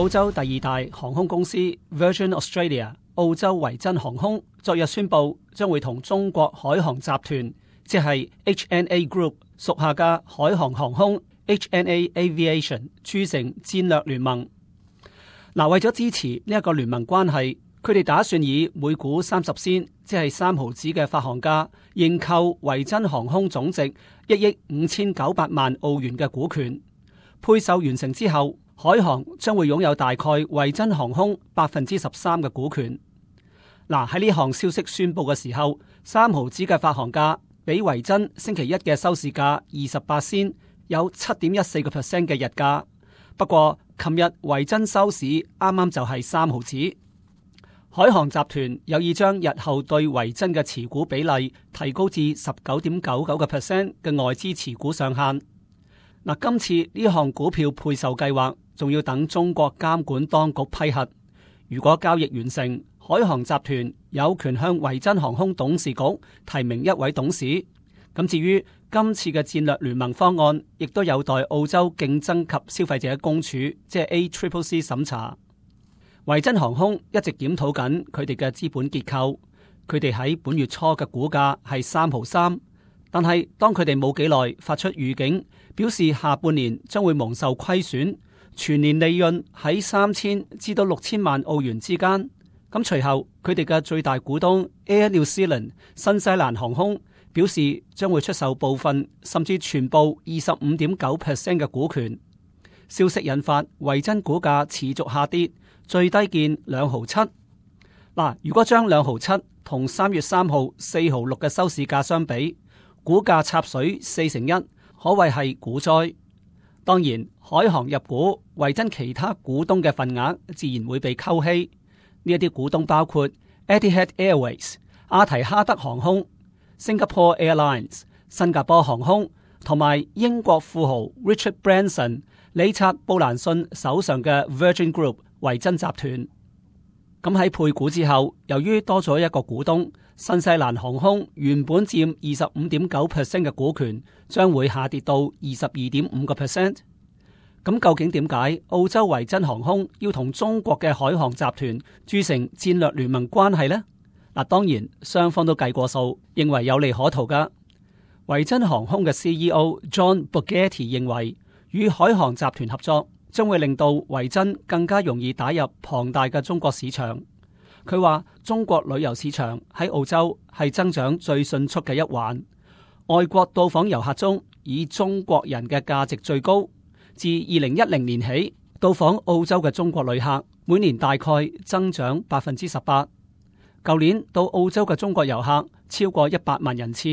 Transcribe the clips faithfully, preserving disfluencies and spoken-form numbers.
澳洲第二大航空公司 Virgin Australia 澳洲維珍航空昨日宣布，將會同中國海航集團，即係 H N A Group 屬下嘅海航航空 H N A Aviation 鑄成戰略聯盟。嗱，為咗支持呢一個聯盟關係，佢哋打算以每股三十仙，即係三毫子嘅發行價，認購維珍航空總值一億五千九百萬澳元嘅股權。配售完成之後，海航將會擁有大概維珍航空百分之十三嘅股權。嗱，喺呢項消息宣布嘅時候，三毫子嘅發行價比維珍星期一嘅收市價二十八仙，有七點一四個 percent 嘅日價。不過，琴日維珍收市啱啱就係三毫子。海航集團有意將日後對維珍嘅持股比例提高至十九點九九個 percent 嘅外資持股上限。嗱，今次呢項股票配售計劃仲要等中國監管當局批核。如果交易完成，海航集團有權向維珍航空董事局提名一位董事。咁至於今次嘅戰略聯盟方案，亦都有待澳洲競爭及消費者公署，即係 A C C C 審查。維珍航空一直檢討緊佢哋嘅資本結構，佢哋喺本月初嘅股價係三毫三，但係當佢哋冇幾耐發出預警，表示下半年將會蒙受虧損，全年利潤喺三千至到六千萬澳元之間。咁隨後佢哋嘅最大股東 Air New Zealand 新西蘭航空表示將會出售部分甚至全部二十五點九 percent 嘅股權。消息引發維珍股價持續下跌，最低見兩毫七。嗱，如果將兩毫七同三月三號四毫六嘅收市價相比，股價插水四成一，可謂係股災。當然，海航入股維珍其他股東嘅份額自然會被溝稀。呢一啲股東包括 Etihad Airways、阿提哈德航空、Singapore Airlines、新加坡航空同埋英國富豪 Richard Branson、理察布蘭遜手上嘅 Virgin Group 維珍集團。咁喺配股之後，由於多咗一個股東，新西蘭航空原本佔二十五點九 percent 嘅股權，將會下跌到二十二點五個 percent。咁究竟點解澳洲維珍航空要同中國嘅海航集團鑄成戰略聯盟關係呢？嗱，當然雙方都計過數，認為有利可圖噶。維珍航空嘅 C E O John Borghetti 認為，與海航集團合作將會令到維珍更加容易打入龐大嘅中國市場。佢話中國旅遊市場喺澳洲係增長最迅速嘅一環，外國到訪遊客中以中國人嘅價值最高。自二零一零年起，到訪澳洲嘅中國旅客每年大概增長百分之十八。舊年到澳洲嘅中國遊客超過一百萬人次，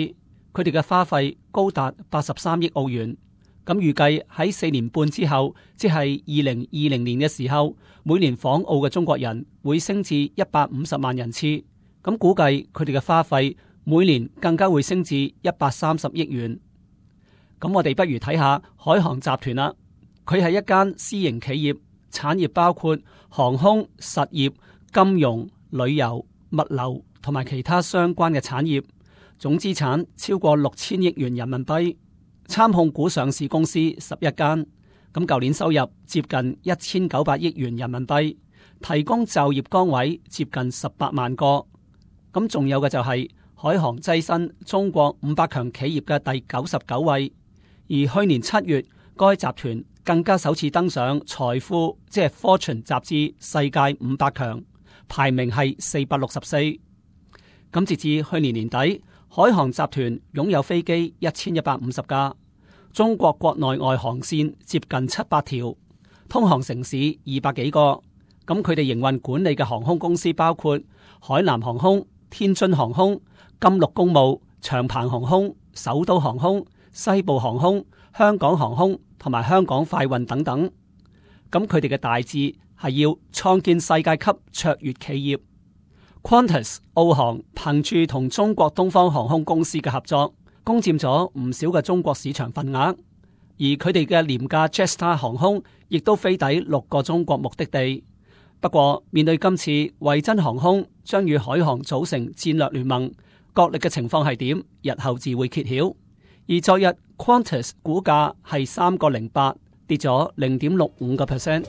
佢哋嘅花費高達八十三億澳元。咁預計喺四年半之後，即係二零二零年嘅時候，每年訪澳嘅中國人會升至一百五十萬人次。咁估計佢哋嘅花費每年更加會升至一百三十億元。咁我哋不如睇下海航集團啦。佢係一間私營企業，產業包括航空、實業、金融、旅遊、物流同埋其他相關嘅產業，總資產超過六千億元人民幣，參控股上市公司十一間。咁舊年收入接近一千九百億元人民幣，提供就業崗位接近十八萬個。咁仲有嘅就係海航躋身中國五百強企業嘅第九十九位，而去年七月該集團更加首次登上財富即係 Fortune 雜誌世界五百強，排名係四百六十四。咁截至去年年底，海航集團擁有飛機一千一百五十架，中國國內外航線接近七百條，通航城市二百幾個。咁佢哋營運管理嘅航空公司包括海南航空、天津航空、金陸公務、長鵬航空、首都航空、西部航空、香港航空同埋香港快運等等。咁佢哋嘅大志係要創建世界級卓越企業。Qantas 澳航憑住同中國東方航空公司嘅合作，攻佔咗唔少嘅中國市場份額，而佢哋嘅廉價 Jetstar 航空亦都飛抵六個中國目的地。不過面對今次維珍航空將與海航組成戰略聯盟，角力嘅情況係點？日後自會揭曉。而昨日 Qantas 股價係三個零八，跌咗零點六五個 percent。